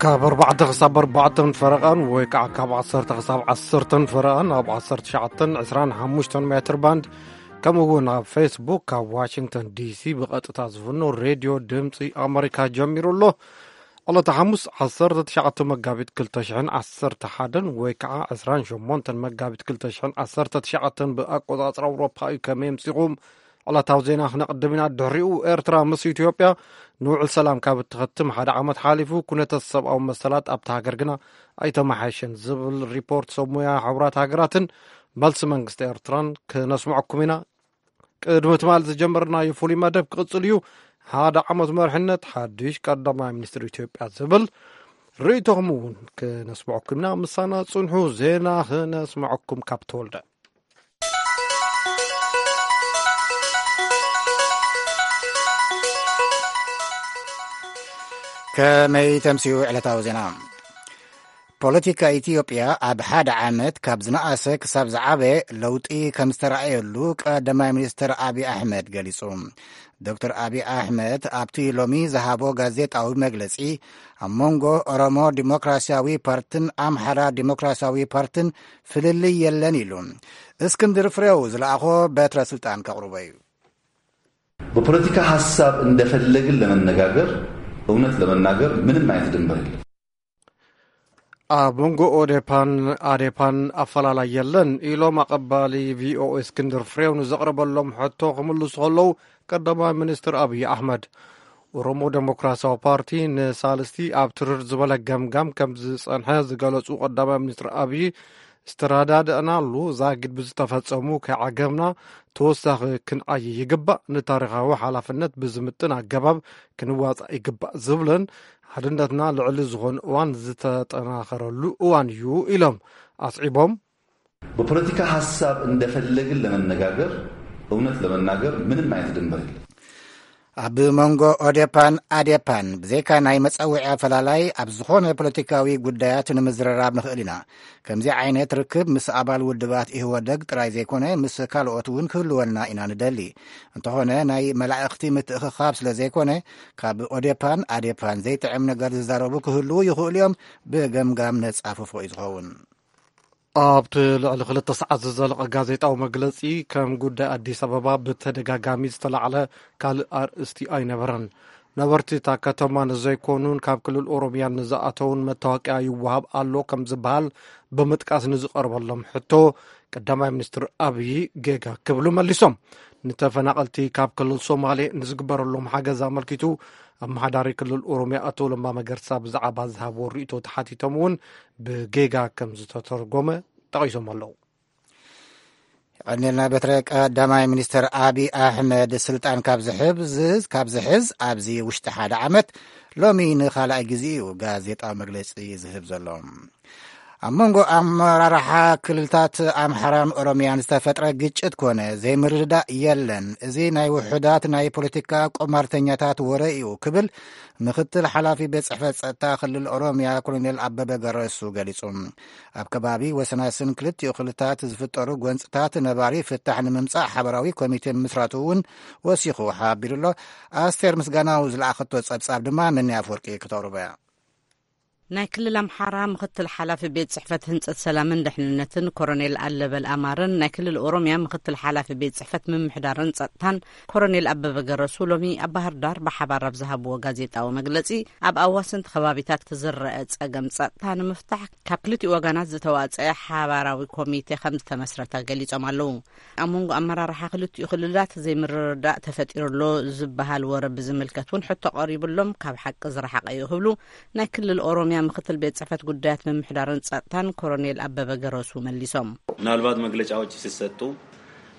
ካብ ኣርባዕተ ክሳብ ኣርባዕተን ፈረቓን ወይ ከዓ ካብ ዓሰርተ ክሳብ ዓሰርተን ፈረቓን ኣብ ዓሰርተ ትሽዓተን ዕስራን ሓሙሽተን ሜትር ባንድ፣ ከምኡ እውን ኣብ ፌስቡክ ካብ ዋሽንግተን ዲሲ ብቐጥታ ዝፍኖ ሬድዮ ድምፂ ኣመሪካ ጀሚሩ ኣሎ። ዕለተ ሓሙስ ዓሰርተ ትሽዓተ መጋቢት ክልተ ሽሕን ዓሰርተ ሓደን ወይ ከዓ ዕስራን ሸሞንተን መጋቢት ክልተ ሽሕን ዓሰርተ ትሽዓተን ብኣቆፃፅራ ኣውሮፓ እዩ። ከመይ ኣምሲኹም? ዕለታዊ ዜና ክነቕድም ኢና። ድሕሪኡ ኤርትራ ምስ ኢትዮጵያ ንውዕል ሰላም ካብ እትኸትም ሓደ ዓመት ሓሊፉ፣ ኩነታት ሰብኣዊ መሰላት ኣብታ ሃገር ግና ኣይተመሓየሸን ዝብል ሪፖርት ሰብ ሞያ ሕቡራት ሃገራትን መልሲ መንግስቲ ኤርትራን ክነስምዐኩም ኢና። ቅድሚ ትማል ዝጀመርናዮ ፍሉይ መደብ ክቕጽል እዩ። ሓደ ዓመት መርሕነት ሓድሽ ቀዳማይ ሚኒስትር ኢትዮጵያ ዝብል ርእይቶኹም እውን ክነስምዐኩም ኢና። ምሳና ጽንሑ። ዜና ክነስምዐኩም ካብ ተወልደ። ከመይ ተምስዩ ዕለታዊ ዜና? ፖለቲካ ኢትዮጵያ ኣብ ሓደ ዓመት ካብ ዝነኣሰ ክሳብ ዝዓበ ለውጢ ከም ዝተረኣየሉ ቀዳማይ ሚኒስትር ኣብይ ኣሕመድ ገሊጹ። ዶክተር ኣብይ ኣሕመድ ኣብቲ ሎሚ ዝሃቦ ጋዜጣዊ መግለጺ፣ ኣብ መንጎ ኦሮሞ ዲሞክራሲያዊ ፓርትን ኣምሓራ ዲሞክራሲያዊ ፓርትን ፍልልይ የለን ኢሉ። እስክንድር ፍሬው ዝለኣኾ በትረ ስልጣን ከቕርቦ እዩ። በፖለቲካ ሐሳብ እንደፈለግን ለመነጋገር፣ እውነት ለመናገር ምንም አይነት ድንበር የለም። ኣብ መንጎ ኦዴፓን ኣዴፓን ኣፈላላይ የለን ኢሎም ኣቐባሊ ቪኦኤ እስክንድር ፍሬው ንዘቕረበሎም ሕቶ ክምልሱ ከለዉ፣ ቀዳማይ ሚኒስትር ኣብይ ኣሕመድ፣ ኦሮሞ ዴሞክራሲያዊ ፓርቲ ንሳልስቲ ኣብ ትርር ዝበለ ገምጋም ከም ዝጸንሐ ዝገለጹ ቀዳማይ ሚኒስትር ኣብይ፣ ዝተረዳድእናሉ ዛጊድ ብዝተፈጸሙ ከይዓገብና ተወሳኺ ክንዓይ ይግባእ፣ ንታሪኻዊ ሓላፍነት ብዝምጥን ኣገባብ ክንዋጻእ ይግባእ ዝብልን ሓድነትና ልዕሊ ዝኾነ እዋን ዝተጠናኸረሉ እዋን እዩ ኢሎም ኣስዒቦም። በፖለቲካ ሐሳብ እንደፈለግን ለመነጋገር፣ እውነት ለመናገር ምንም አይነት ድንበር የለም። ኣብ መንጎ ኦዴፓን ኣዴፓን ብዘይካ ናይ መጸውዒ ኣፈላላይ ኣብ ዝኾነ ፖለቲካዊ ጉዳያት ንምዝርራብ ንኽእል ኢና። ከምዚ ዓይነት ርክብ ምስ ኣባል ውድባት ኢህወደግ ጥራይ ዘይኮነ፣ ምስ ካልኦት እውን ክህልወና ኢና ንደሊ። እንተኾነ ናይ መላእኽቲ ምትእኽኻብ ስለ ዘይኮነ፣ ካብ ኦዴፓን ኣዴፓን ዘይጥዕም ነገር ዝዛረቡ ክህልዉ ይኽእሉ እዮም። ብገምጋም ነጻፍፎ እዩ ዝኸውን። ኣብቲ ልዕሊ ክልተ ሰዓት ዝዘለቐ ጋዜጣዊ መግለጺ፣ ከም ጉዳይ ኣዲስ ኣበባ ብተደጋጋሚ ዝተላዕለ ካልእ ኣርእስቲ ኣይነበረን። ነበርቲ እታ ከተማ ንዘይኮኑን ካብ ክልል ኦሮሚያ ንዝኣተውን መታወቂያ ይወሃብ ኣሎ ከም ዝበሃል ብምጥቃስ ንዝቐርበሎም ሕቶ፣ ቀዳማይ ሚኒስትር ኣብዪ ጌጋ ክብሉ መሊሶም። ንተፈናቐልቲ ካብ ክልል ሶማሌ ንዝግበረሎም ሓገዝ ኣመልኪቱ፣ ኣመሓዳሪ ክልል ኦሮሚያ ኣቶ ለማ መገርሳ ብዛዕባ ዝሃብዎ ርእይቶ ተሓቲቶም እውን ብጌጋ ከም ዝተተርጎመ ጠቒሶም ኣለዉ። የቐንየልና በትረ። ቀዳማይ ሚኒስትር ኣብይ ኣሕመድ ስልጣን ካብ ዝሕብዝ-፣ ካብ ዝሕዝ ኣብዚ ውሽጢ ሓደ ዓመት ሎሚ ንኻልኣይ ግዜ እዩ ጋዜጣዊ መግለጺ ዝህብ ዘሎ። ኣብ መንጎ ኣመራርሓ ክልልታት ኣምሓራን ኦሮሚያን ዝተፈጥረ ግጭት ኮነ ዘይምርድዳእ የለን። እዚ ናይ ውሑዳት ናይ ፖለቲካ ቁማርተኛታት ወረ እዩ ክብል ምክትል ሓላፊ ቤት ጽሕፈት ጸጥታ ክልል ኦሮሚያ ኮሎኔል ኣበበ ገረሱ ገሊጹ። ኣብ ከባቢ ወሰናስን ክልቲኡ ክልታት ዝፍጠሩ ጎንጽታት ነባሪ ፍታሕ ንምምጻእ ሓበራዊ ኮሚቴ ምምስራቱ እውን ወሲኹ ሓቢሩ ኣሎ። ኣስቴር ምስጋናው ዝለኣኸቶ ጸብጻብ ድማ ነኒ ኣፍወርቂ ክተቕርቦ እያ። ናይ ክልል ኣምሓራ ምክትል ሓላፊ ቤት ጽሕፈት ህንጸት ሰላምን ድሕንነትን ኮሮኔል ኣለበል ኣማረን ናይ ክልል ኦሮሚያ ምክትል ሓላፊ ቤት ጽሕፈት ምምሕዳርን ጸጥታን ኮሮኔል ኣበበ ገረሱ ሎሚ ኣብ ባህር ዳር ብሓባር ኣብ ዝሃብዎ ጋዜጣዊ መግለጺ፣ ኣብ ኣዋሰንቲ ከባቢታት ዝረአ ጸገም ጸጥታ ንምፍታሕ ካብ ክልቲኡ ወገናት ዝተዋጸአ ሓባራዊ ኮሚቴ ከም ዝተመስረተ ገሊጾም ኣለዉ። ኣብ መንጎ ኣመራርሓ ክልቲኡ ክልላት ዘይምርድዳእ ተፈጢሩ ኣሎ ዝበሃል ወረ ብዝምልከት እውን ሕቶ ቀሪብሎም ካብ ሓቂ ዝረሓቐ እዩ ክብሉ ናይ ክልል ኦሮሚያ ምክትል ቤት ጽሕፈት ጉዳያት ምምሕዳርን ጸጥታን ኮሮኔል ኣበበ ገረሱ መሊሶም። ምናልባት መግለጫዎች ሲሰጡ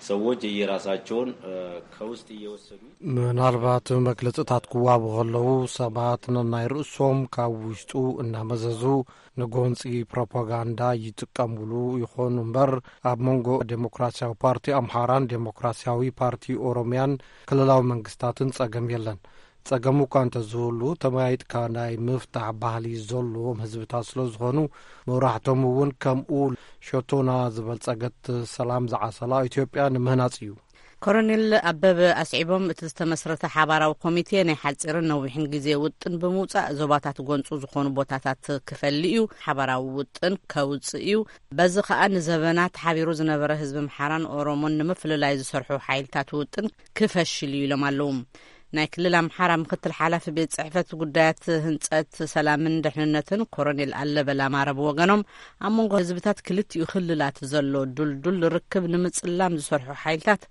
ሰዎች የየራሳቸውን፣ እ፣ ከውስጥ እየወሰዱ ምናልባት መግለጽታት ክዋቡ ከለዉ ሰባት ነናይ ርእሶም ካብ ውሽጡ እናመዘዙ ንጎንጺ ፕሮፓጋንዳ ይጥቀምሉ ይኾኑ እምበር፣ ኣብ መንጎ ዴሞክራሲያዊ ፓርቲ ኣምሓራን ዴሞክራሲያዊ ፓርቲ ኦሮሚያን ክልላዊ መንግስታትን ጸገም የለን። ጸገም እኳ እንተዝህሉ፣ ተመያይጥካ ናይ ምፍታሕ ባህሊ ዘለዎም ህዝብታት ስለ ዝኾኑ፣ መብራሕቶም እውን ከምኡ ሸቶና ዝበልጸገት ሰላም ዝዓሰላ ኢትዮጵያ ንምህናጽ እዩ። ኮሎኔል ኣበበ ኣስዒቦም፣ እቲ ዝተመስረተ ሓባራዊ ኮሚቴ ናይ ሓጺርን ነዊሕን ግዜ ውጥን ብምውጻእ፣ ዞባታት ጎንጹ ዝኾኑ ቦታታት ክፈሊ እዩ። ሓባራዊ ውጥን ከውጽእ እዩ። በዚ ከኣ ንዘበናት ሓቢሩ ዝነበረ ህዝቢ ኣምሓራን ኦሮሞን ንምፍልላይ ዝሰርሑ ሓይልታት ውጥን ክፈሽል እዩ ኢሎም ኣለዉ። ናይ ክልል ኣምሓራ ምክትል ሓላፊ ቤት ጽሕፈት ጉዳያት ህንጸት ሰላምን ድሕንነትን ኮሎኔል ኣለበል ኣማረ ብወገኖም፣ ኣብ መንጎ ህዝብታት ክልቲኡ ክልላት ዘሎ ዱልዱል ርክብ ንምጽላም ዝሰርሑ ሓይልታት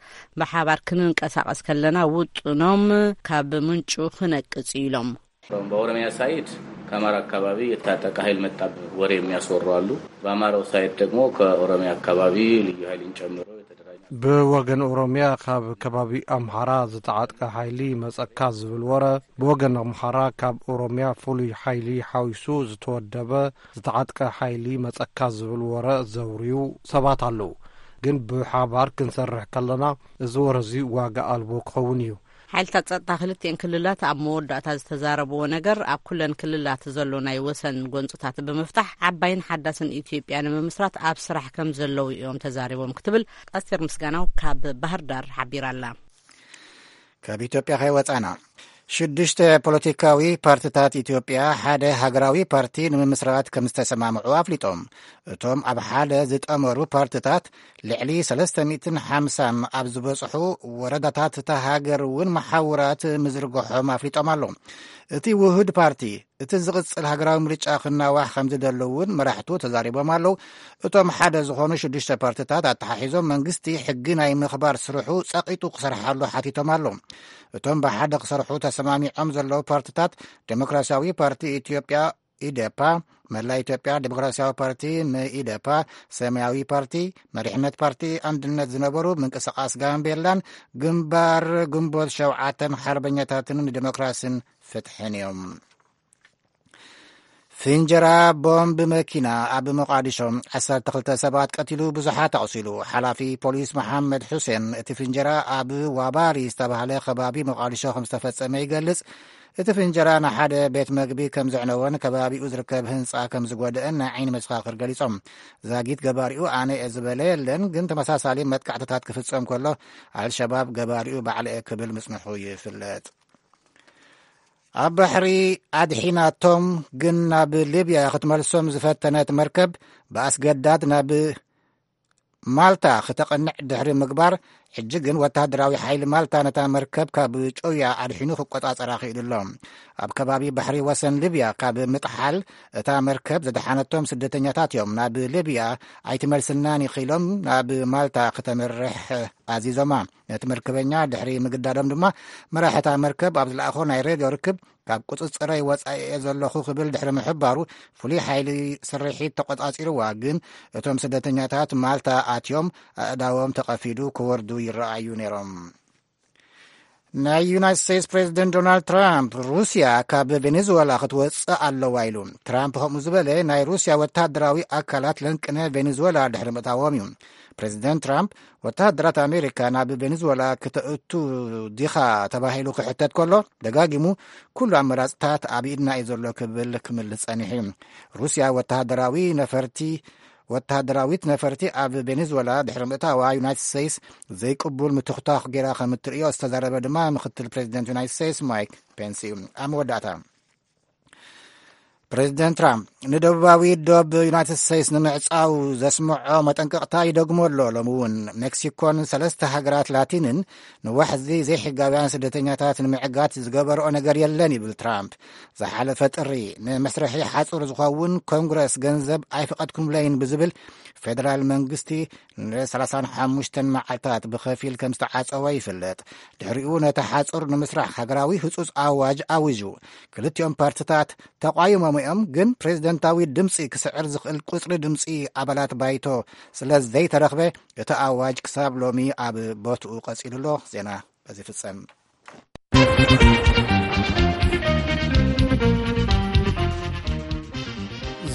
ብሓባር ክንንቀሳቐስ ከለና ውጥኖም ካብ ምንጩ ክነቅጽ እዩ ኢሎም። በኦሮሚያ ሳይድ ከአማራ አካባቢ የታጠቀ ኃይል መጣብ ወሬ የሚያስወሩ አሉ። በአማራው ሳይድ ደግሞ ከኦሮሚያ አካባቢ ልዩ ኃይልን ጨምሮ የተደራጀ ብወገን ኦሮሚያ ካብ ከባቢ ኣምሓራ ዝተዓጥቀ ሓይሊ መጸካ ዝብል ወረ፣ ብወገን ኣምሓራ ካብ ኦሮሚያ ፍሉይ ሓይሊ ሓዊሱ ዝተወደበ ዝተዓጥቀ ሓይሊ መጸካ ዝብል ወረ ዘውርዩ ሰባት ኣለዉ። ግን ብሓባር ክንሰርሕ ከለና እዚ ወረ እዚ ዋጋ ኣልቦ ክኸውን እዩ። ሓይልታት ጸጥታ ክልቲኤን ክልላት ኣብ መወዳእታ ዝተዛረብዎ ነገር፣ ኣብ ኩለን ክልላት ዘሎ ናይ ወሰን ጎንጽታት ብምፍታሕ ዓባይን ሓዳስን ኢትዮጵያ ንምምስራት ኣብ ስራሕ ከም ዘለዉ እዮም ተዛሪቦም ክትብል ኣስቴር ምስጋናው ካብ ባህር ዳር ሓቢራ ኣላ። ካብ ኢትዮጵያ ከይወጻና፣ ሽዱሽተ ፖለቲካዊ ፓርትታት ኢትዮጵያ ሓደ ሃገራዊ ፓርቲ ንምምስራት ከም ዝተሰማምዑ ኣፍሊጦም። እቶም ኣብ ሓደ ዝጠመሩ ፓርትታት ልዕሊ ሰለስተ ሚእትን ሓምሳን ኣብ ዝበጽሑ ወረዳታት እታ ሃገር እውን መሓውራት ምዝርግሖም ኣፍሊጦም ኣለዉ። እቲ ውሁድ ፓርቲ እቲ ዝቕጽል ሃገራዊ ምርጫ ክናዋሕ ከም ዝደሊ እውን መራሕቱ ተዛሪቦም ኣለዉ። እቶም ሓደ ዝኾኑ ሽዱሽተ ፓርትታት ኣተሓሒዞም መንግስቲ ሕጊ ናይ ምኽባር ስርሑ ጸቒጡ ክሰርሓሉ ሓቲቶም ኣለዉ። እቶም ብሓደ ክሰርሑ ተሰማሚዖም ዘለዉ ፓርትታት ዴሞክራሲያዊ ፓርቲ ኢትዮጵያ ኢዴፓ፣ መላ ኢትዮጵያ ዴሞክራሲያዊ ፓርቲ መኢዴፓ፣ ሰማያዊ ፓርቲ፣ መሪሕነት ፓርቲ ኣንድነት ዝነበሩ ምንቅስቃስ ጋምቤላን ግንባር ግንቦት ሸውዓተን ሓርበኛታትን ንዴሞክራሲን ፍትሕን እዮም። ፍንጀራ ቦምብ መኪና ኣብ ሞቃዲሾ ዓሰርተ ክልተ ሰባት ቀቲሉ ብዙሓት ኣቑሲሉ። ሓላፊ ፖሊስ መሓመድ ሑሴን እቲ ፍንጀራ ኣብ ዋባሪ ዝተባህለ ከባቢ ሞቃዲሾ ከም ዝተፈጸመ ይገልጽ። እቲ ፍንጀራ ንሓደ ቤት መግቢ ከም ዘዕነወን ከባቢኡ ዝርከብ ህንጻ ከም ዝጎደአን ናይ ዓይኒ መሰኻኽር ገሊጾም። ዛጊት ገባሪኡ ኣነ እየ ዝበለ የለን፣ ግን ተመሳሳሊ መጥቃዕትታት ክፍጸም ከሎ ኣልሸባብ ገባሪኡ ባዕለ እየ ክብል ምጽንሑ ይፍለጥ። ኣብ ባሕሪ ኣድሒናቶም ግን ናብ ሊብያ ክትመልሶም ዝፈተነት መርከብ ብኣስገዳድ ናብ ማልታ ክተቐንዕ ድሕሪ ምግባር፣ ሕጂ ግን ወተሃደራዊ ሓይሊ ማልታ ነታ መርከብ ካብ ጨውያ ኣድሒኑ ክቆጻጸራ ክኢሉ ኣሎ። ኣብ ከባቢ ባሕሪ ወሰን ሊብያ ካብ ምጥሓል እታ መርከብ ዘድሓነቶም ስደተኛታት እዮም ናብ ሊብያ ኣይትመልስናን ኢኺሎም ናብ ማልታ ክተምርሕ ኣዚዞማ። ነቲ መርከበኛ ድሕሪ ምግዳዶም ድማ መራሒ እታ መርከብ ኣብ ዝለኣኾ ናይ ሬድዮ ርክብ ካብ ቁጽጽረይ ወጻኢ እየ ዘለኹ ክብል ድሕሪ ምሕባሩ፣ ፍሉይ ሓይሊ ስርሒት ተቆጻጺርዋ። ግን እቶም ስደተኛታት ማልታ ኣትዮም ኣእዳዎም ተቐፊዱ ክወርዱ ይረኣዩ ነይሮም። ናይ ዩናይትድ ስቴትስ ፕሬዚደንት ዶናልድ ትራምፕ ሩስያ ካብ ቬኔዙዌላ ክትወፅእ ኣለዋ ኢሉ። ትራምፕ ከምኡ ዝበለ ናይ ሩስያ ወታደራዊ ኣካላት ለንቅነ ቬኔዙዌላ ድሕሪ ምእታዎም እዩ። ፕሬዚደንት ትራምፕ ወተሃደራት ኣሜሪካ ናብ ቬኔዙዌላ ክተእቱ ዲኻ ተባሂሉ ክሕተት ከሎ፣ ደጋጊሙ ኩሉ ኣመራፅታት ኣብ ኢድና እዩ ዘሎ ክብል ክምልስ ጸኒሑ እዩ። ሩስያ ወተሃደራዊ ነፈርቲ ወተሃደራዊት ነፈርቲ ኣብ ቬኔዙዌላ ድሕሪ ምእታዋ፣ ዩናይትድ ስቴትስ ዘይቅቡል ምትኽታኽ ገይራ ከም እትርእዮ ዝተዛረበ ድማ ምክትል ፕሬዚደንት ዩናይትድ ስቴትስ ማይክ ፔንስ እዩ። ኣብ መወዳእታ፣ ፕሬዚደንት ትራምፕ ንደቡባዊ ዶብ ዩናይትድ ስቴትስ ንምዕጻው ዘስምዖ መጠንቀቕታ ይደግሞ ኣሎ። ሎሚ እውን ሜክሲኮን ሰለስተ ሃገራት ላቲንን ንዋሕዚ ዘይሕጋውያን ስደተኛታት ንምዕጋት ዝገበርኦ ነገር የለን ይብል ትራምፕ። ዝሓለፈ ጥሪ ንመስርሒ ሓጹር ዝኸውን ኮንግረስ ገንዘብ ኣይፈቐድኩምለይን ብዝብል ፌደራል መንግስቲ ን ሰላሳን ሓሙሽተን መዓልታት ብኸፊል ከም ዝተዓጸወ ይፍለጥ። ድሕሪኡ ነቲ ሓጹር ንምስራሕ ሃገራዊ ህጹጽ ኣዋጅ ኣዊጁ። ክልቲኦም ፓርትታት ተቋይሞም እዮም፣ ግን ፕሬዝደንታዊ ድምጺ ክስዕር ዝኽእል ቁጽሪ ድምጺ ኣባላት ባይቶ ስለ ዘይተረኽበ እቲ ኣዋጅ ክሳብ ሎሚ ኣብ ቦትኡ ቀጺሉ ኣሎ። ዜና በዚ ፍጸም።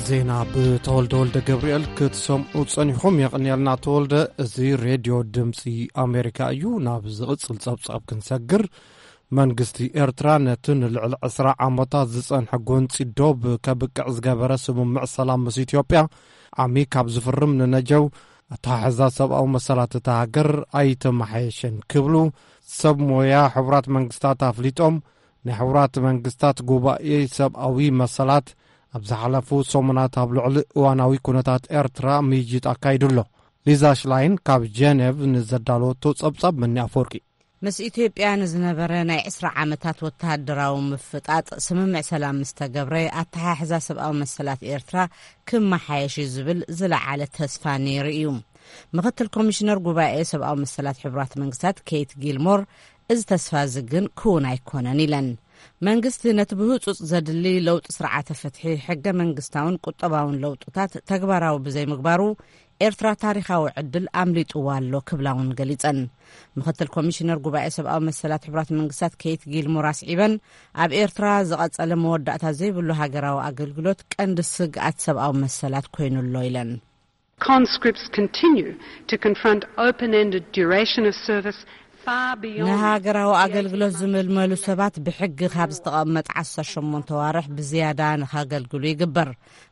ዜና ብተወልደ ወልደ ገብርኤል ክትሰምዑ ጸኒኹም። የቕንየልና ተወልደ። እዚ ሬድዮ ድምፂ ኣሜሪካ እዩ። ናብ ዝቕፅል ጸብጻብ ክንሰግር፣ መንግስቲ ኤርትራ ነቲ ንልዕሊ ዕስራ ዓመታት ዝጸንሐ ጎንፂ ዶብ ከብቅዕ ዝገበረ ስምምዕ ሰላም ምስ ኢትዮጵያ ዓሚ ካብ ዝፍርም ንነጀው ኣተሓሕዛ ሰብኣዊ መሰላት እታ ሃገር ኣይተመሓየሸን ክብሉ ሰብ ሞያ ሕቡራት መንግስታት ኣፍሊጦም። ናይ ሕቡራት መንግስታት ጉባኤ ሰብኣዊ መሰላት ኣብ ዝሓለፉ ሰሙናት ኣብ ልዕሊ እዋናዊ ኩነታት ኤርትራ ምይይጥ ኣካይዱ ኣሎ። ሊዛ ሽላይን ካብ ጀነቭ ንዘዳለወቶ ጸብጻብ መኒ ኣፈወርቂ። ምስ ኢትዮጵያ ንዝነበረ ናይ ዕስራ ዓመታት ወተሃደራዊ ምፍጣጥ ስምምዕ ሰላም ምስ ተገብረ፣ ኣተሓሕዛ ሰብኣዊ መሰላት ኤርትራ ክመሓየሽ እዩ ዝብል ዝለዓለ ተስፋ ነይሩ እዩ። ምኽትል ኮሚሽነር ጉባኤ ሰብኣዊ መሰላት ሕቡራት መንግስታት ኬት ጊልሞር፣ እዚ ተስፋ እዚ ግን ክውን ኣይኮነን ኢለን። መንግስቲ ነቲ ብህጹጽ ዘድሊ ለውጢ ስርዓተ ፍትሒ፣ ሕገ መንግስታውን ቁጠባውን ለውጥታት ተግባራዊ ብዘይምግባሩ፣ ኤርትራ ታሪኻዊ ዕድል ኣምሊጥዋ ኣሎ ክብላ እውን ገሊጸን። ምኽትል ኮሚሽነር ጉባኤ ሰብኣዊ መሰላት ሕቡራት መንግስታት ኬት ጊልሞር ኣስዒበን፣ ኣብ ኤርትራ ዝቐጸለ መወዳእታ ዘይብሉ ሃገራዊ ኣገልግሎት ቀንዲ ስግኣት ሰብኣዊ መሰላት ኮይኑ ኣሎ ኢለን። Conscripts continue to confront open-ended duration of service far beyond ንሃገራዊ ኣገልግሎት ዝምልመሉ ሰባት ብሕጊ ካብ ዝተቐመጠ ዓሰርተ ሸሞንተ ዋርሕ ብዝያዳ ንኸገልግሉ ይግበር።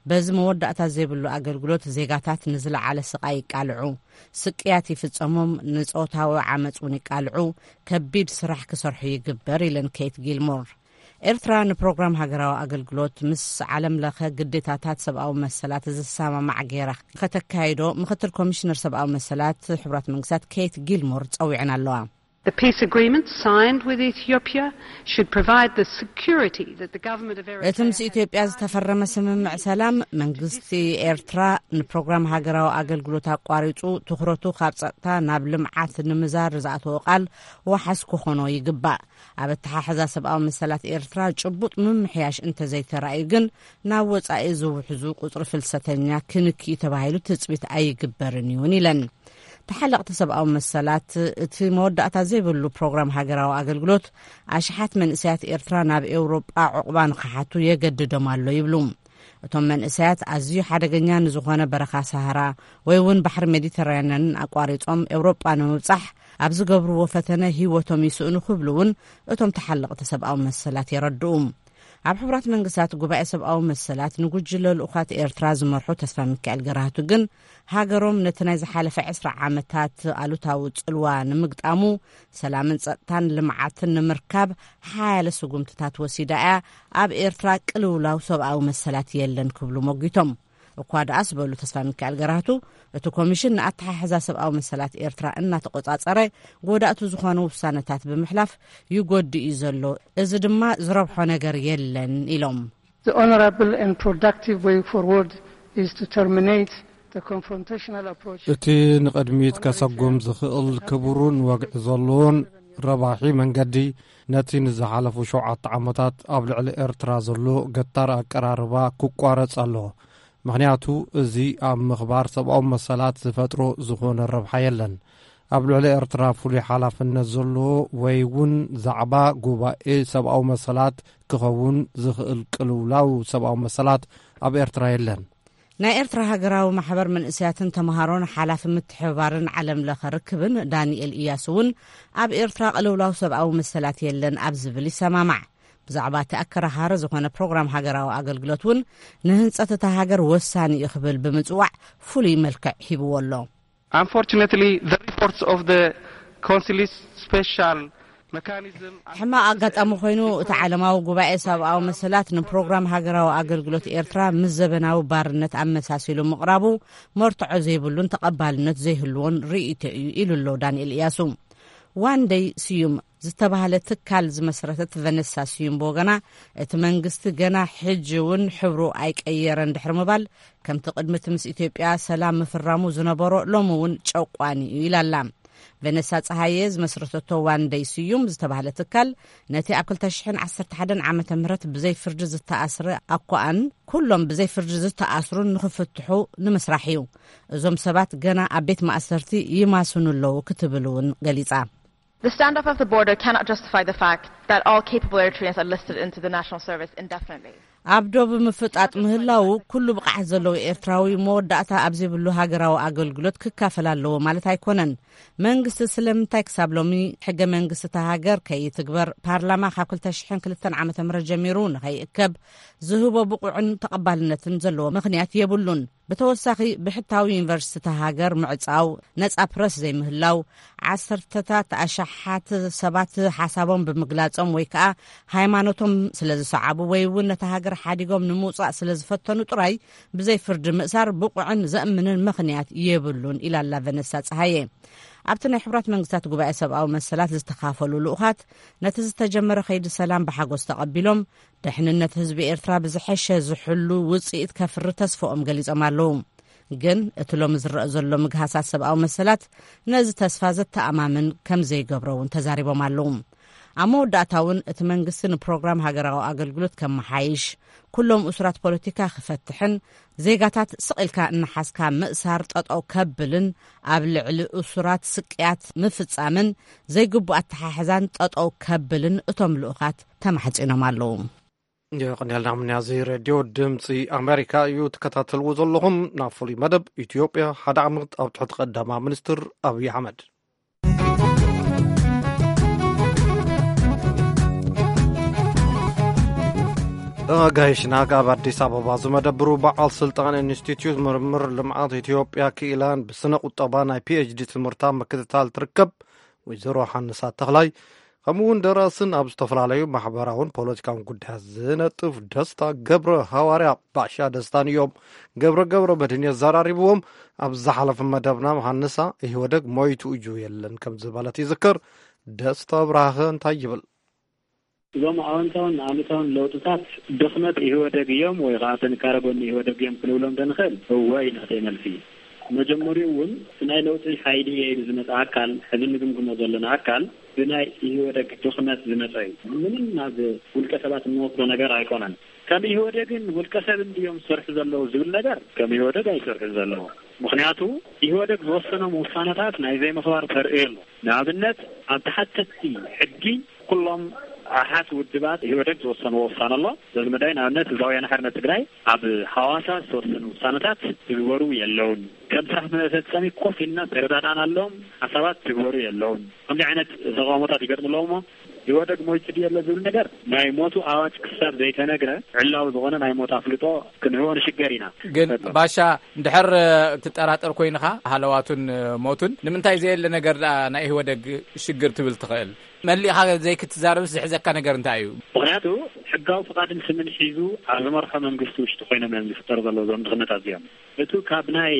በዚ መወዳእታ ዘይብሉ ኣገልግሎት ዜጋታት ንዝለዓለ ስቓይ ይቃልዑ፣ ስቅያት ይፍጸሞም፣ ንጾታዊ ዓመጽ እውን ይቃልዑ፣ ከቢድ ስራሕ ክሰርሑ ይግበር ኢለን ኬት ጊልሞር። ኤርትራ ንፕሮግራም ሃገራዊ ኣገልግሎት ምስ ዓለም ለኸ ግዴታታት ሰብኣዊ መሰላት ዝሰማማዕ ገይራ ከተካይዶ ምኽትል ኮሚሽነር ሰብኣዊ መሰላት ሕቡራት መንግስታት ኬት ጊልሞር ጸዊዐን ኣለዋ። The peace agreement signed with Ethiopia should provide the security that the government of Eritrea እቲ ምስ ኢትዮጵያ ዝተፈረመ ስምምዕ ሰላም፣ መንግስቲ ኤርትራ ንፕሮግራም ሃገራዊ ኣገልግሎት ኣቋሪጹ ትኹረቱ ካብ ጸጥታ ናብ ልምዓት ንምዛር ዝኣተወ ቃል ዋሓስ ክኾኖ ይግባእ። ኣብ ኣተሓሕዛ ሰብኣዊ መሰላት ኤርትራ ጭቡጥ ምምሕያሽ እንተዘይተራእዩ ግን፣ ናብ ወጻኢ ዝውሕዙ ቁጽሪ ፍልሰተኛ ክንኪ እዩ ተባሂሉ ትጽቢት ኣይግበርን እዩን ኢለን። ተሓለቕቲ ሰብኣዊ መሰላት፣ እቲ መወዳእታ ዘይብሉ ፕሮግራም ሃገራዊ ኣገልግሎት ኣሽሓት መንእሰያት ኤርትራ ናብ ኤውሮጳ ዕቑባ ንኽሓቱ የገድዶም ኣሎ ይብሉ። እቶም መንእሰያት ኣዝዩ ሓደገኛ ንዝኾነ በረኻ ሰሃራ ወይ እውን ባሕሪ ሜዲተራንያንን ኣቋሪጾም ኤውሮጳ ንምብጻሕ ኣብ ዝገብርዎ ፈተነ ህይወቶም ይስእኑ ክብሉ እውን እቶም ተሓለቕቲ ሰብኣዊ መሰላት የረድኡ። ኣብ ሕቡራት መንግስታት ጉባኤ ሰብኣዊ መሰላት ንጉጅለ ልኡኻት ኤርትራ ዝመርሑ ተስፋ ሚካኤል ገራህቱ ግን፣ ሃገሮም ነቲ ናይ ዝሓለፈ ዕስራ ዓመታት ኣሉታዊ ጽልዋ ንምግጣሙ፣ ሰላምን ጸጥታን ልምዓትን ንምርካብ ሓያለ ስጉምትታት ወሲዳ እያ፣ ኣብ ኤርትራ ቅልውላው ሰብኣዊ መሰላት የለን ክብሉ ሞጊቶም። እኳ ደኣስ በሉ ተስፋ ሚካኤል ገራህቱ፣ እቲ ኮሚሽን ንኣተሓሕዛ ሰብኣዊ መሰላት ኤርትራ እናተቆጻጸረ፣ ጎዳእቱ ዝኾኑ ውሳነታት ብምሕላፍ ይጎድእ እዩ ዘሎ። እዚ ድማ ዝረብሖ ነገር የለን ኢሎም። The honorable and productive way forward is to terminate the confrontational approach. እቲ ንቕድሚት ከሰጉም ዝኽእል ክቡርን ወግዒ ዘለዎን ረባሒ መንገዲ፣ ነቲ ንዝሓለፉ ሸውዓተ ዓመታት ኣብ ልዕሊ ኤርትራ ዘሎ ገታር ኣቀራርባ ክቋረጽ ኣለዎ። ምኽንያቱ፣ እዚ ኣብ ምኽባር ሰብኣዊ መሰላት ዝፈጥሮ ዝኾነ ረብሓ የለን። ኣብ ልዕሊ ኤርትራ ፍሉይ ሓላፍነት ዘለዎ ወይ እውን ዛዕባ ጉባኤ ሰብኣዊ መሰላት ክኸውን ዝኽእል ቅልውላው ሰብኣዊ መሰላት ኣብ ኤርትራ የለን። ናይ ኤርትራ ሃገራዊ ማሕበር መንእሰያትን ተምሃሮን ሓላፊ ምትሕብባርን ዓለም ለኸ ርክብን ዳንኤል እያሱ እውን፣ ኣብ ኤርትራ ቅልውላው ሰብኣዊ መሰላት የለን ኣብ ዝብል ይሰማማዕ። ብዛዕባ እቲ ኣከራኻሪ ዝኾነ ፕሮግራም ሃገራዊ ኣገልግሎት እውን፣ ንህንጸት እታ ሃገር ወሳኒ እዩ ክብል ብምጽዋዕ፣ ፍሉይ መልክዕ ሂብዎ ኣሎ። Unfortunately, the reports of the Council's special mechanism ሕማቕ ኣጋጣሚ ኮይኑ፣ እቲ ዓለማዊ ጉባኤ ሰብኣዊ መሰላት ንፕሮግራም ሃገራዊ ኣገልግሎት ኤርትራ ምስ ዘበናዊ ባርነት ኣመሳሲሉ ምቕራቡ፣ መርትዖ ዘይብሉን ተቐባልነት ዘይህልዎን ርእይቶ እዩ ኢሉ ኣሎ ዳንኤል እያሱ። ዋንደይ ስዩም ዝተባህለ ትካል ዝመስረተት ቨነሳ ስዩም ብወገና፣ እቲ መንግስቲ ገና ሕጂ እውን ሕብሩ ኣይቀየረን ድሕሪ ምባል፣ ከምቲ ቅድሚ እቲ ምስ ኢትዮጵያ ሰላም ምፍራሙ ዝነበሮ ሎሚ እውን ጨቋኒ እዩ ኢላ ኣላ። ቨነሳ ጸሃየ ዝመስረተቶ ዋንደይ ስዩም ዝተባህለ ትካል፣ ነቲ ኣብ ክልተ ሽሕን ዓሰርተ ሓደን ዓመተ ምህረት ብዘይ ፍርዲ ዝተኣስረ ኣኳኣን ኩሎም ብዘይ ፍርዲ ዝተኣስሩን ንኽፍትሑ ንምስራሕ እዩ። እዞም ሰባት ገና ኣብ ቤት ማእሰርቲ ይማስኑ ኣለዉ ክትብል እውን ገሊጻ። The standoff of the border cannot justify the fact that all capable Eritreans are listed into the national service indefinitely. ኣብ ዶብ ምፍጣጥ ምህላው ኩሉ ብቕዓት ዘለዎ ኤርትራዊ መወዳእታ ኣብ ዘይብሉ ሃገራዊ ኣገልግሎት ክካፈል ኣለዎ ማለት ኣይኮነን። መንግስቲ ስለምንታይ ክሳብ ሎሚ ሕገ መንግስቲ እታ ሃገር ከይትግበር፣ ፓርላማ ካብ ክልተ ሽሕን ክልተን ዓመተ ምህረት ጀሚሩ ንኸይእከብ ዝህቦ ብቑዕን ተቐባልነትን ዘለዎ ምኽንያት የብሉን። ብተወሳኺ፣ ብሕታዊ ዩኒቨርሲቲታት ሃገር ምዕጻው፣ ነጻ ፕረስ ዘይምህላው፣ ዓሰርተታት ኣሽሓት ሰባት ሓሳቦም ብምግላጾም ወይ ከኣ ሃይማኖቶም ስለ ዝሰዓቡ ወይ እውን ነታ ሃገር ሓዲጎም ንምውጻእ ስለ ዝፈተኑ ጥራይ ብዘይ ፍርዲ ምእሳር ብቑዕን ዘእምንን ምኽንያት የብሉን ኢላ ኣላ ቨነሳ ጸሃየ። ኣብቲ ናይ ሕቡራት መንግስታት ጉባኤ ሰብኣዊ መሰላት ዝተኻፈሉ ልኡኻት ነቲ ዝተጀመረ ከይዲ ሰላም ብሓጎስ ተቐቢሎም፣ ድሕንነት ህዝቢ ኤርትራ ብዝሐሸ ዝሕሉ ውጽኢት ከፍሪ ተስፋኦም ገሊጾም ኣለዉ። ግን እቲ ሎሚ ዝረአ ዘሎ ምግሃሳት ሰብኣዊ መሰላት ነዚ ተስፋ ዘተኣማምን ከም ዘይገብሮ እውን ተዛሪቦም ኣለዉ። ኣብ መወዳእታ እውን እቲ መንግስቲ ንፕሮግራም ሃገራዊ ኣገልግሎት ከመሓይሽ፣ ኩሎም እሱራት ፖለቲካ ክፈትሕን ዜጋታት ስቕ ኢልካ እናሓዝካ ምእሳር ጠጠው ከብልን ኣብ ልዕሊ እሱራት ስቅያት ምፍጻምን ዘይግቡእ ኣተሓሕዛን ጠጠው ከብልን እቶም ልኡኻት ተማሕጺኖም ኣለዉ። የቐንየልና። ምንያዚ ሬድዮ ድምፂ ኣሜሪካ እዩ ትከታተልዎ ዘለኹም። ናብ ፍሉይ መደብ ኢትዮጵያ ሓደ ዓመት ኣብ ትሕቲ ቀዳማ ሚኒስትር ኣብይ ኣሕመድ። ኣጋይሽና ካብ ኣዲስ ኣበባ ዝመደብሩ በዓል ስልጣን ኢንስቲትዩት ምርምር ልምዓት ኢትዮጵያ ክኢላን ብስነ ቁጠባ ናይ ፒኤችዲ ትምህርታ ምክትታል ትርከብ ወይዘሮ ሓንሳ ተኽላይ፣ ከምኡ እውን ደራስን ኣብ ዝተፈላለዩ ማሕበራውን ፖለቲካውን ጉዳያት ዝነጥፍ ደስታ ገብረ ሃዋርያ ባሻ ደስታን እዮም። ገብረ ገብረ መድህን የዘራሪብዎም። ኣብ ዝሓለፈ መደብና ሃንሳ ኢህወደግ ሞይቱ እዩ የለን ከም ዝበለት ይዝከር። ደስታ ብርሃኸ እንታይ ይብል? እዞም ኣወንታውን ኣሉታውን ለውጥታት ድኽመት ኢህወደግ እዮም ወይ ከዓ ጥንካረ ጎኒ ኢህወደግ እዮም ክንብሎም ዶ ንኽእል? እወ ኢና እቲ መልሲ። መጀመሪኡ እውን እቲ ናይ ለውጢ ሓይሊ እየ ኢሉ ዝመፅእ ኣካል፣ ሕዚ እንግምግሞ ዘለና ኣካል ብናይ ኢህወደግ ድኽመት ዝመፀ እዩ። ምንም ናብ ውልቀ ሰባት እንወስዶ ነገር ኣይኮነን። ከም ኢህወደግን ውልቀ ሰብን ድዮም ዝሰርሑ ዘለዉ ዝብል ነገር ከም ኢህወደግ ኣይሰርሑ ዘለዉ። ምኽንያቱ ኢህወደግ ዝወሰኖም ውሳነታት ናይ ዘይምኽባር ተርእዮ ኣሎ። ንኣብነት ኣብ ተሓተትቲ ሕጊ ኩሎም ኣሓት ውድባት ኢህወደግ ዝወሰንዎ ውሳነ ኣሎ። በዚ መዳይ ንኣብነት ህዝባዊ ወያነ ሓርነት ትግራይ ኣብ ሃዋሳ ዝተወሰኑ ውሳነታት ትግበሩ የለውን። ከም ስራሕ መፈጸሚ ኮፍ ኢልና ተረዳዳእናሎም ሓሳባት ትግበሩ የለውን። ከምዚ ዓይነት ተቃውሞታት ይገጥሙ ኣለዉ እሞ ኢህወደግ ሞይቱ ድዩ ኣሎ ዝብል ነገር ናይ ሞቱ ኣዋጅ ክሳብ ዘይተነግረ ዕላዊ ዝኾነ ናይ ሞት ኣፍልጦ ክንህቦ ንሽገር ኢና። ግን ባሻ፣ እንድሕር ትጠራጠር ኮይንኻ ሃለዋቱን ሞቱን ንምንታይ ዘየለ ነገር ደኣ ናይ ኢህወደግ ሽግር ትብል ትኽእል? መሊእኻ ዘይክትዛረብስ ዝሕዘካ ነገር እንታይ እዩ? ምኽንያቱ ሕጋዊ ፍቓድን ስምን ሒዙ ኣብ ዝመርሖ መንግስቲ ውሽጢ ኮይኖም እዮም ዝፍጠሩ ዘለዉ እዞም ድኽነታት እዚኦም። እቱ ካብ ናይ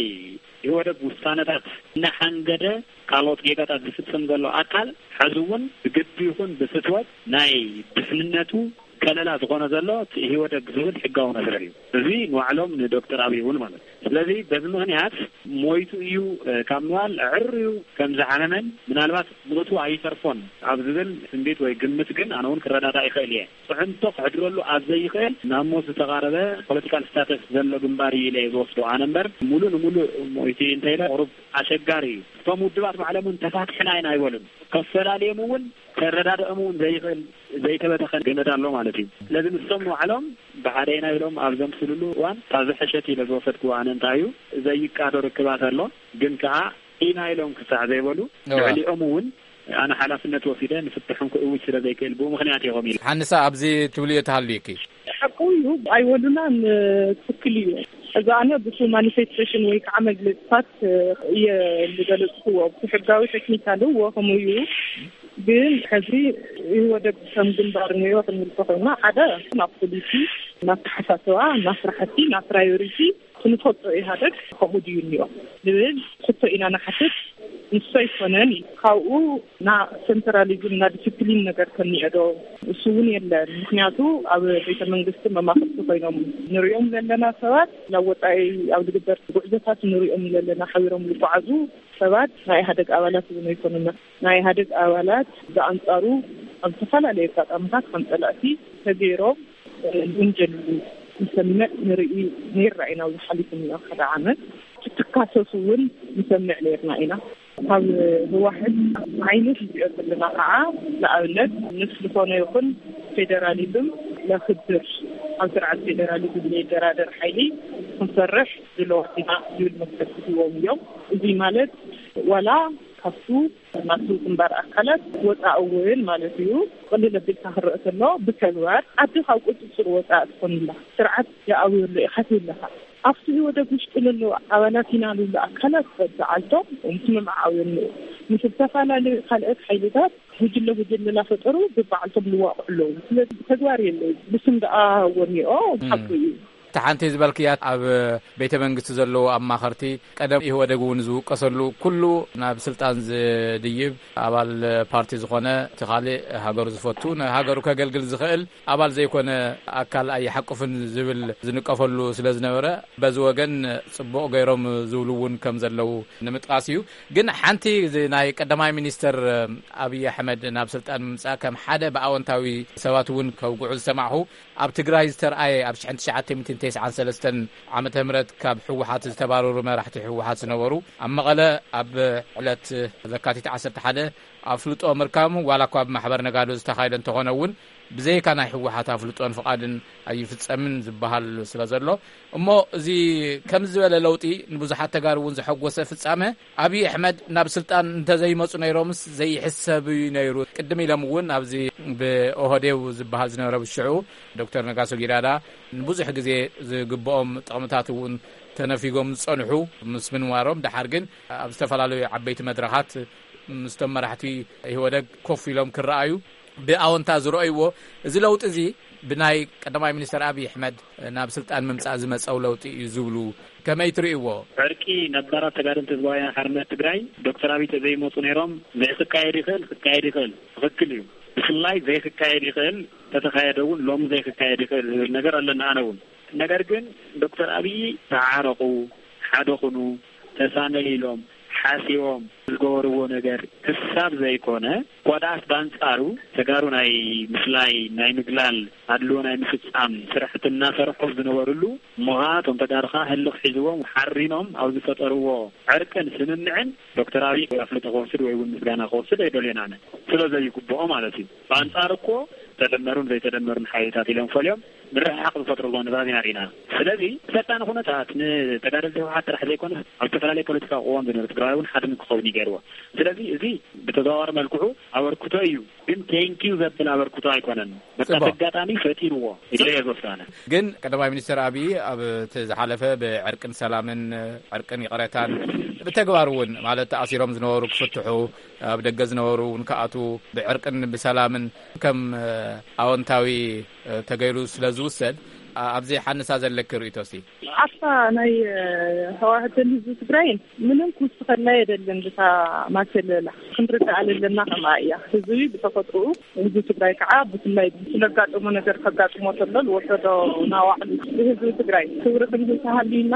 ኢህወደግ ውሳነታት እናሓንገደ ካልኦት ጌጋታት ዝፍጽም ዘሎ ኣካል፣ ሕዚ እውን ብግዲ ይኹን ብፍትወት ናይ ድሕንነቱ ከለላ ዝኾነ ዘሎ እቲ ኢህወደግ ዝብል ሕጋዊ መስርሕ እዩ። እዚ ንባዕሎም ንዶክተር ኣብይ እውን ማለት እዩ። ስለዚ በዚ ምኽንያት ሞይቱ እዩ፣ እ፣ ካብ ምባል ዕርዩ ከም ዝሓመመን ምናልባት ምእቱ ኣይተርፎን ኣብ ዝብል ትንቢት ወይ ግምት ግን ኣነ እውን ክረዳዳእ ይኽእል እየ። ፅዕንቶ ክሕድረሉ ኣብ ዘይኽእል ናብ ሞት ዝተቓረበ ፖለቲካል ስታተስ ዘሎ ግንባር እዩ ኢለ እየ ዝወስዶ ኣነ እምበር፣ ሙሉእ ንሙሉእ ሞይቲ እንተኢለ ቁሩብ ኣሸጋሪ እዩ። እቶም ውድባት ባዕሎም እውን ተፋትሕና ኢና ኣይበሉን። ከፈላልዮም እውን ከረዳድኦም እውን ዘይኽእል ዘይተበተኸ ገመድ ኣሎ ማለት እዩ። ስለዚ ንሶም ንባዕሎም ብሓደ ኢና ኢሎም ኣብ ዘምስልሉ እዋን እታ ዝሐሸት ኢለ ዝወሰድክዎ ኣነ እንታይ እዩ ዘይቃዶ ርክባት ኣሎ፣ ግን ከዓ ኢና ኢሎም ክሳዕ ዘይበሉ እወ። ልዕሊኦም እውን ኣነ ሓላፍነት ወሲደ ንፍትሖም ክእውጅ ስለ ዘይክእል ብኡ ምኽንያት ኢኹም ኢሉ። ሓንሳ ኣብዚ ትብልዮ ተሃልዩኪ? ሓቁ እዩ፣ ኣይወሉናን፣ ትክክል እዩ። እዚ ኣነ ብሱ ማኒፌስቴሽን ወይ ከዓ መግለፅታት እየ ዝገለፅክዎ። ብሕጋዊ ቴክኒካል እዎ ከምኡ እዩ። ግን ሕዚ ኢህወደግ ከም ግንባር ነይሮ ክንብል ተኮይና ሓደ ናብ ፖሊሲ፣ ናብ ተሓሳስባ፣ ናብ ስራሕቲ፣ ናብ ፕራዮሪቲ ክንፈልጦ ኢህኣደግ ከምኡ ድዩ እኒኦ ንብል ሕቶ ኢና ንሓትት። ንሱ ኣይኮነን እዩ። ካብኡ ና ሴንትራሊዝም ና ዲስፕሊን ነገር ከኒኦ ዶ? እሱ እውን የለን። ምክንያቱ ኣብ ቤተ መንግስቲ መማክርቲ ኮይኖም ንሪኦም ዘለና ሰባት ናብ ወፃኢ ኣብ ዝግበር ጉዕዞታት ንሪኦም ዘለና ሓቢሮም ዝጓዓዙ ሰባት ናይ ኢህኣደግ ኣባላት እውን ኣይኮኑና። ናይ ኢህኣደግ ኣባላት ብኣንፃሩ ኣብ ዝተፈላለዩ ኣጋጣሚታት ከም ፀላእቲ ተገይሮም ዝውንጀልሉ ንሰምዕ ንርኢ ነይርና ኢና። ኣብዚ ሓሊፉ እኒኦ ሓደ ዓመት ክትካሰሱ እውን ንሰምዕ ነይርና ኢና። ካብ ህወሓት ዓይነት ንሪኦ ዘለና ከዓ ንኣብነት ምስ ዝኾነ ይኹን ፌደራሊዝም ለኽብር ኣብ ስርዓት ፌደራሊዝም ለይደራደር ሓይሊ ክንሰርሕ ድለዋት ኢና ዝብል መግለፂ ሂቦም እዮም። እዚ ማለት ዋላ ካብቱ ናቱ ግንባር ኣካላት ወፃእ እውን ማለት እዩ። ቅልል ኣቢልካ ክረአ ከሎ ብተግባር ዓዲ ካብ ቁፅፅር ወፃእ ትኾንላ ስርዓት ይኣውየሉ ኢኻ ትብለካ። ኣብቲ ኢህወደግ ውሽጢ ዘለዉ ኣባላት ኢና ዝብሉ ኣካላት በብዓልቶም ምስምምዓው የለዉ። ምስ ዝተፈላለዩ ካልኦት ሓይልታት ጉጅለ ጉጅለ እናፈጠሩ በብዓልቶም ዝዋቕዑ ኣለዉ። ስለዚ ተግባር የለዉ። ብስም ደኣ ወኒኦ ሓቁ እዩ። እቲ ሓንቲ ዝበልክያ ኣብ ቤተ መንግስቲ ዘለዉ ኣማኸርቲ ቀደም ኢህወደግ እውን ዝውቀሰሉ ኩሉ ናብ ስልጣን ዝድይብ ኣባል ፓርቲ ዝኾነ እቲ ካልእ ሃገሩ ዝፈቱ ንሃገሩ ከገልግል ዝኽእል ኣባል ዘይኮነ ኣካል ኣይሓቁፍን ዝብል ዝንቀፈሉ ስለ ዝነበረ በዚ ወገን ጽቡቕ ገይሮም ዝብሉ እውን ከም ዘለዉ ንምጥቃስ እዩ። ግን ሓንቲ እዚ ናይ ቀዳማይ ሚኒስተር ኣብይ ኣሕመድ ናብ ስልጣን ምምጻእ ከም ሓደ ብኣወንታዊ ሰባት እውን ከውግዑ ዝሰማዕኹ ኣብ ትግራይ ዝተርኣየ ኣብ ሽሕን ትሽዓተ ሚእትን ተስዓን ሰለስተን ዓመተ ምህረት ካብ ህወሓት ዝተባረሩ መራሕቲ ህወሓት ዝነበሩ ኣብ መቐለ ኣብ ዕለት ለካቲት ዓሰርተ ሓደ ኣፍልጦ ምርካቦም ዋላ እኳ ብማሕበር ነጋዶ ዝተኻየደ እንተኾነ እውን ብዘይካ ናይ ህወሓት ኣፍልጦን ፍቓድን ኣይፍጸምን ዝበሃል ስለ ዘሎ እሞ እዚ ከም ዝበለ ለውጢ ንብዙሓት ተጋሩ እውን ዘሐጎሰ ፍጻመ ኣብይ ኣሕመድ ናብ ስልጣን እንተዘይመፁ ነይሮምስ ዘይሕሰብ እዩ ነይሩ። ቅድም ኢሎም እውን ኣብዚ ብኦህዴው ዝበሃል ዝነበረ ብሽዑ ዶክተር ነጋሶ ጊዳዳ ንብዙሕ ግዜ ዝግብኦም ጥቕምታት እውን ተነፊጎም ዝፀንሑ ምስ ምንባሮም ደሓር ግን ኣብ ዝተፈላለዩ ዓበይቲ መድረኻት ምስቶም መራሕቲ ኢህወደግ ኮፍ ኢሎም ክረኣዩ ብኣወንታ ዝረኣይዎ እዚ ለውጢ እዚ ብናይ ቀዳማይ ሚኒስተር ኣብይ ኣሕመድ ናብ ስልጣን ምምፃእ ዝመፀው ለውጢ እዩ ዝብሉ ከመይ ትርእይዎ? ዕርቂ ነባራት ተጋደልቲ ህዝባዊ ሓርነት ትግራይ ዶክተር ኣብይ ተዘይመፁ ነይሮም ዘይክካየድ ይኽእል ክካየድ ይኽእል ትኽክል እዩ። ብፍላይ ዘይክካየድ ይኽእል ተተኻየደ እውን ሎም ዘይክካየድ ይኽእል ዝብል ነገር ኣለና ኣነ እውን ነገር ግን ዶክተር ኣብይ ተዓረቑ ሓደ ኩኑ ተሳነዩ ኢሎም ሓሲቦም ዝገበርዎ ነገር ክሳብ ዘይኮነ ኳዳኣስ ባንጻሩ ተጋሩ ናይ ምስላይ ናይ ምግላል ኣድልዎ ናይ ምፍጻም ስራሕቲ እናሰርሑ ዝነበርሉ እሞኻ እቶም ተጋርኻ ህልኽ ሒዝዎም ሓሪኖም ኣብ ዝፈጠርዎ ዕርቅን ስምምዕን ዶክተር ኣብይ ኣፍልጦ ክወስድ ወይ እውን ምስጋና ክወስድ ኣይደልዮን ኣነ ስለ ዘይግብኦ ማለት እዩ። ብኣንጻር እኮ ተደመሩን ዘይተደመሩን ሓይልታት ኢሎም ፈልዮም ምርሕሓቕ ዝፈጥርዎ ንባብ ኢና ርኢና። ስለዚ ፈጣን ኩነታት ንተጋደልቲ ህወሓት ጥራሕ ዘይኮነ ኣብ ዝተፈላለየ ፖለቲካዊ ቅዋም ዝነበረ ትግራይ እውን ሓደ ክኸውን ይገርዎ። ስለዚ እዚ ብተዘዋዋሪ መልክዑ ኣበርክቶ እዩ፣ ግን ቴንኪዩ ዘብል ኣበርክቶ ኣይኮነን። በቃ ተጋጣሚ ፈጢርዎ ኢለ እየ ዝወስዳነ። ግን ቀዳማይ ሚኒስትር ኣብይ ኣብ እቲ ዝሓለፈ ብዕርቅን ሰላምን ዕርቅን ይቕረታን ብተግባር እውን ማለት ተኣሲሮም ዝነበሩ ክፍትሑ ኣብ ደገ ዝነበሩ እውን ክኣትዉ ብዕርቅን ብሰላምን ከም ኣወንታዊ ተገይሩ ስለ ዝውሰድ ኣብዚ ሓንሳ ዘለኪ ርእይቶ እስቲ ኣብታ ናይ ህዋህትን ህዝቢ ትግራይን ምንም ክውስኸላ የደልን ብታ ማከለላ ክንርዳእ ኣለና ከማ እያ ህዝቢ ብተፈጥኡ ህዝቢ ትግራይ ከዓ ብፍላይ ስለጋጠሞ ነገር ከጋጥሞ ተሎ ዝወሰዶ ናዋዕሉ ብህዝቢ ትግራይ ክብሪ ክንህብ ተሃልዩና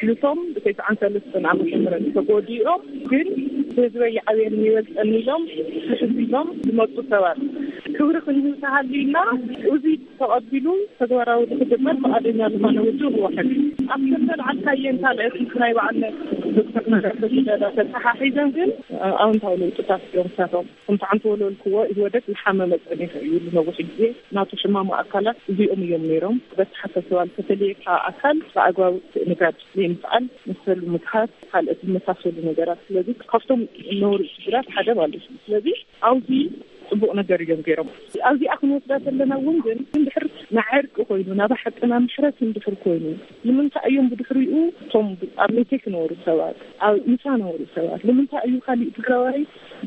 ንቶም ብተስዓን ሰለስተን ዓመተ ምህረት ተጎዲኦም ግን ህዝበይ ይዓብየኒ ይበልፀኒ ኢሎም ሕዝቢሎም ዝመፁ ሰባት ክብሪ ክንህብ ተሃልዩና እዚ ተቐቢሉ ተግባራዊ ንክግበር ፍቓደኛ ዝኾነ ውድብ ህወሓት ኣብ ክልተ ልዓልካየን ካልኦት ምስ ናይ በዓል ዶክተር ነጋሶ ጊዳዳ ተተሓሒዘን ግን ኣወንታዊ ለውጥታት እዮም ንሳቶም ከምቲ ዓንተ ወለልክዎ ኢህወደግ ዝሓመመ ፀኒሑ እዩ ንነዊሕ ግዜ ናቱ ሕማሙ ኣካላት እዚኦም እዮም ነይሮም በተሓሳስባ ዝተፈለየካ ኣካል ብኣግባቡ ትእንጋድ ዘይምኽኣል መሰሉ ምግሃስ ካልኦት ዝመሳሰሉ ነገራት ስለዚ ካብቶም ዝነበሩ ሽግራት ሓደ ማለት እዩ ስለዚ ኣብዚ ፅቡቕ ነገር እዮም ገይሮም ኣብዚኣ ክንወስዳ ዘለና እውን ግን እንድሕር ንዓርቂ ኮይኑ ናብ ሓቅና ምሕረት እንድሕር ኮይኑ ንምንታይ እዮም ብድሕሪኡ እቶም ኣብ ሜቴክ ነበሩ ሰባት ኣብ ኢሳ ነበሩ ሰባት ንምንታይ እዩ ካሊእ ትግራዋይ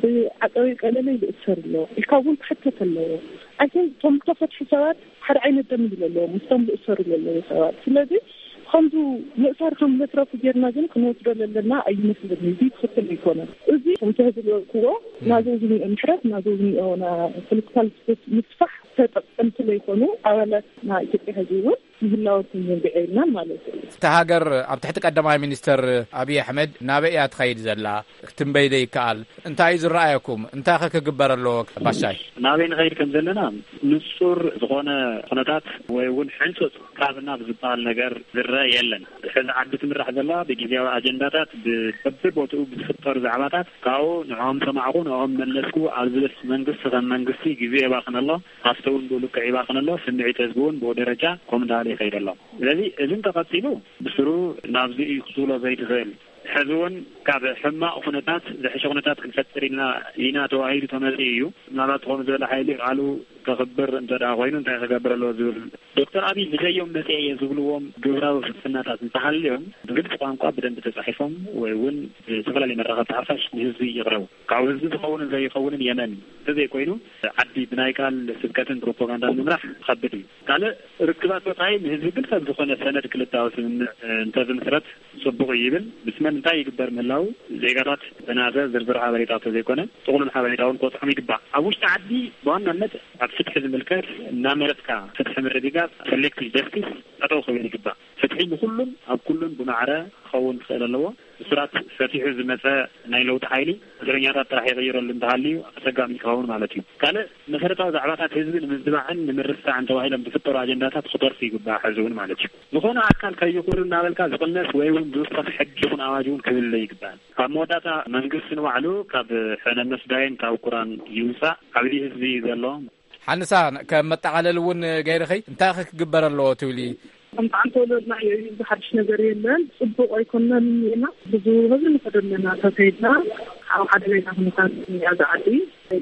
ብዓፀዊ ቀለለ ይእሰር ኣሎ ኢልካ እውን ክሕተት ኣለዎ ኣይን እቶም ዝተፈትሑ ሰባት ሓደ ዓይነት ደም እዩ ዘለዎም ምስቶም ዝእሰሩ ዘለዉ ሰባት ስለዚ ከምዚ ምእሳር ከም ዘትረፉ ጌርና ግን ክንወስዶ ዘለና ኣይመስልን እዚ ትኽክል ኣይኮነን እዚ ከምቲ ዝበልክዎ ናዘው ዝኒኦ ምሕረት ናዘው ዝኒኦ ፖለቲካል ስፔስ ምስፋሕ ተጠቀምቲ ዘይኮኑ ኣባላት ናይ ኢትዮጵያ ህዝቢ እውን ምህላወኩም ዘንግዐ ኢልና ማለት እዩ። እታ ሃገር ኣብ ትሕቲ ቀዳማይ ሚኒስተር ኣብይ ኣሕመድ ናበይ እያ ትኸይድ ዘላ ክትንበይ ዶ ይከኣል? እንታይ እዩ ዝረኣየኩም? እንታይ ከ ክግበር ኣለዎ ባሻይ? ናበይ ንኸይድ ከም ዘለና ንጹር ዝኾነ ኩነታት ወይ እውን ሕንጹጽ ካብና ብዝበሃል ነገር ዝረአ የለን። ሕዚ ዓዲ ትምራሕ ዘላ ብግዝያዊ ኣጀንዳታት ብበብቦትኡ ብዝፍጠሩ ዛዕባታት ካብኡ ንዕኦም ሰማዕኹ ንዕኦም መለስኩ ኣብ ዝብል መንግስቲ ከም መንግስቲ ግዜ የባኽን ኣሎ። ሃፍቲ እውን ብኡ ልክዕ ይባኽን ኣሎ። ስምዒት ህዝቢ እውን ብኡ ደረጃ ከምኡ እንዳበለ ይኸይድ ኣሎ። ስለዚ እዚ እንተቐፂሉ ብስሩ ናብዚ እዩ ክትብሎ ዘይትኽእል። ሕዚ እውን ካብ ሕማቕ ኩነታት ዝሕሸ ኩነታት ክንፈጥር ኢና፣ ኢና ተባሂሉ ተመጽኡ እዩ። ምናልባት ዝኾነ ዝበለ ሓይሊ ቃሉ ከኽብር እንተ ደኣ ኮይኑ እንታይ ክገብር ኣለዎ ዝብል። ዶክተር ኣብይ ብዘዮም መጽአ እየ ዝብልዎም ግብራዊ ፍልስፍናታት እንተሃልዮም፣ ብግልጺ ቋንቋ ብደንቢ ተጻሒፎም ወይ እውን ብዝተፈላለየ መራኸብቲ ሓፋሽ ንህዝቢ ይቕረቡ። ካብ ህዝቢ ዝኸውንን ዘይኸውንን የመን እንተዘይኮይኑ፣ ዓዲ ብናይ ቃል ስብከትን ፕሮፓጋንዳን ምምራሕ ከብድ እዩ። ካልእ ርክባት ወጻኢ ንህዝቢ ግን ሰብ ዝኾነ ሰነድ ክልታዊ ስምምዕ እንተዝምስረት ጽቡቕ እዩ ይብል። ምስ መን እንታይ ይግበር ምህላው ዜጋታት ብናሰ ዝርዝር ሓበሬታ እንተዘይኮነ፣ ጥቕሉል ሓበሬታ እውን ክበጽሖም ይግባእ። ኣብ ውሽጢ ዓዲ ብዋናነት ኣብ ፍትሒ ዝምልከት እናመረጽካ ፍትሒ ምርግጋጽ፣ ሰሌክቲቭ ጀስቲስ፣ ጠጠው ክብል ይግባእ። ፍትሒ ንኹሉን ኣብ ኩሉን ብማዕረ ክኸውን ክኽእል ኣለዎ። እሱራት ፈቲሑ ዝመጸ ናይ ለውጢ ሓይሊ እስረኛታት ጥራሕ ይቕይረሉ እንተሃልዩ ኣጸጋሚ ክኸውን ማለት እዩ። ካልእ መሰረታዊ ዛዕባታት ህዝቢ ንምዝባዕን ንምርሳዕን ተባሂሎም ዝፍጠሩ ኣጀንዳታት ክተርፉ ይግባእ። ሕዚ እውን ማለት እዩ። ዝኾነ ኣካል ከይኹን እናበልካ ዝቕነስ ወይ እውን ዝውሰኽ ሕጊ ይኹን ኣዋጅ እውን ክህሉ ይግባእ። ኣብ መወዳእታ መንግስቲ ንባዕሉ ካብ ሕነ መስዳይን ካብ ቁራን ይውፃእ። ዓብዲ ህዝቢ እዩ ዘሎ። ሓንሳ ከም መጠቓለሊ እውን ገይርኸይ እንታይ ኸ ክግበር ኣለዎ ትብሊ? ከምቲ ዓንተ ወለድና እዩ፣ እዚ ሓድሽ ነገር የለን። ጽቡቕ ኣይኮነን። ኢና ብዙ ህዝቢ ንኸደለና ተፈይድና ኣብ ሓደገኛ ኩነታት እያ ዝዓዲ።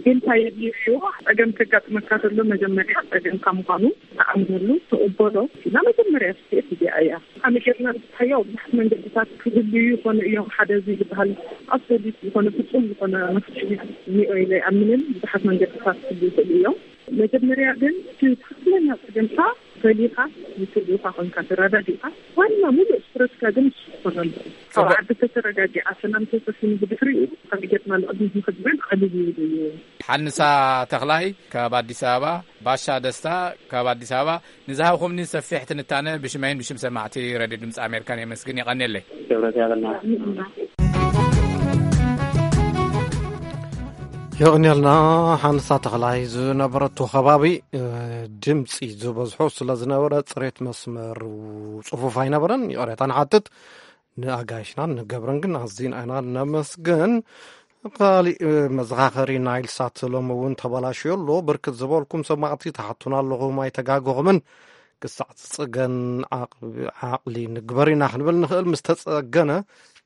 ግን እንታይ የድልዮ እዩ? ጸገም ከጋጥመካ ከሎ መጀመርያ ጸገምካ ምዃኑ ተኣምነሉ፣ ተቐበሎ። እና መጀመርያ ስቴት እዚኣ እያ። ከመይ ጌርና ንፍትሓዮ? ብዙሓት መንገድታት ክህልዩ ይኾኑ እዮም። ሓደ እዚ ዝበሃል ኣብሶሉት ዝኾነ ፍጹም ዝኾነ መፍትሒ እኒኦ ኢለ ኣይኣምንን። ብዙሓት መንገድታት ክህልዩ ይኽእሉ እዮም። መጀመርያ ግን እቲ ትኽክለኛ ጸገምካ ፈሊኻ ንስድርኻ ኮንካ ተረዳዲእካ ዋና ሙሉእ ትኩረትካ ግን ንሱ ክኾን ኣለዎ። ካብ ጽቡቅ። ዓዲ ተተረጋጊዓ ሰላም ተሰፊኑ ብድሕሪኡ ከመይ ጌርና ንቕድሚት ንኽድብል ቀሊል ይብል እዩ። ሓንሳ ተኽላይ ካብ ኣዲስ ኣበባ፣ ባሻ ደስታ ካብ ኣዲስ ኣበባ፣ ንዝሃብኹምኒ ሰፊሕ ትንታነ ብሽመይን ብሽም ሰማዕቲ ሬድዮ ድምፂ ኣሜሪካን የመስግን። የቐንየለይ። ክብረት ያበልና። የቕንየልና። ሓንሳ ተኽላይ ዝነበረቶ ከባቢ፣ እ፣ ድምፂ ዝበዝሖ ስለ ዝነበረ፣ ፅሬት መስመር ፅፉፍ ኣይነበረን። ይቕሬታ ንሓትት። ንኣጋይሽናን ንገብረን ግን ኣዝና ኢና ነመስግን። ካሊእ መዘኻኸሪ ናይል ሳት ሎሚ እውን ተበላሽዮ ኣሎ። ብርክት ዝበልኩም ሰማዕቲ ትሓቱና ኣለኹም፣ ኣይተጋገኹምን። ክሳዕ ዝጽገን ዓቕ-፣ ዓቕሊ ንግበር ኢና ክንብል ንኽእል። ምስ ተጸገነ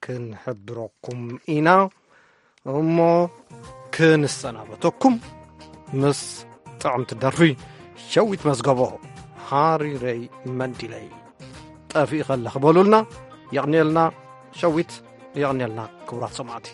ክንሕብረኩም ኢና። እሞ ክንሰናበተኩም ምስ ጥዕምቲ ደርፊ ሸዊት መዝገቦ፣ ሃሪረይ መንዲለይ። ጠፊእ ከለኺ በሉልና። የቕንየልና ሸዊት፣ የቕንየልና ክቡራት ሰማዕቲ።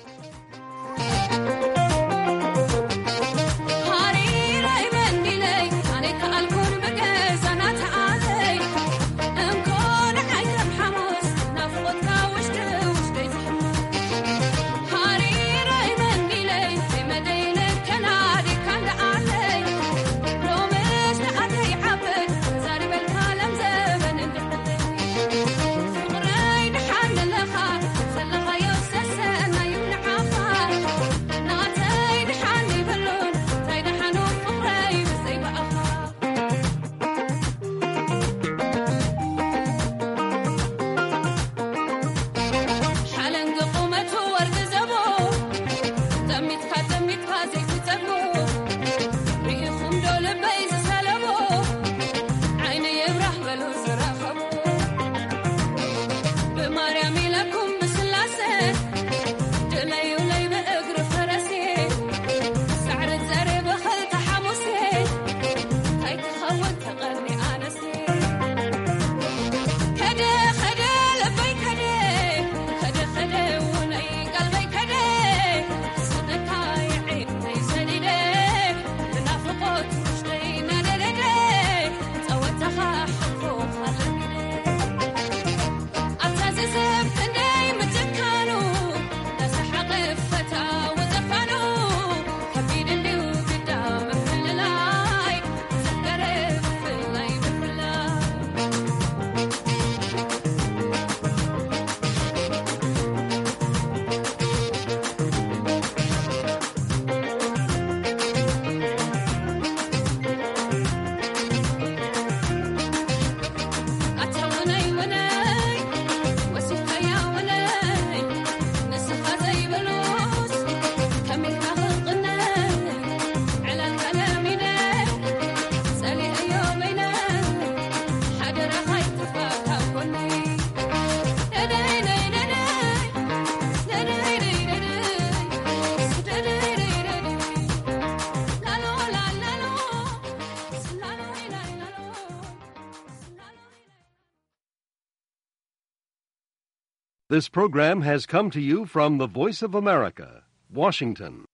This program has come to you from the Voice of America, Washington.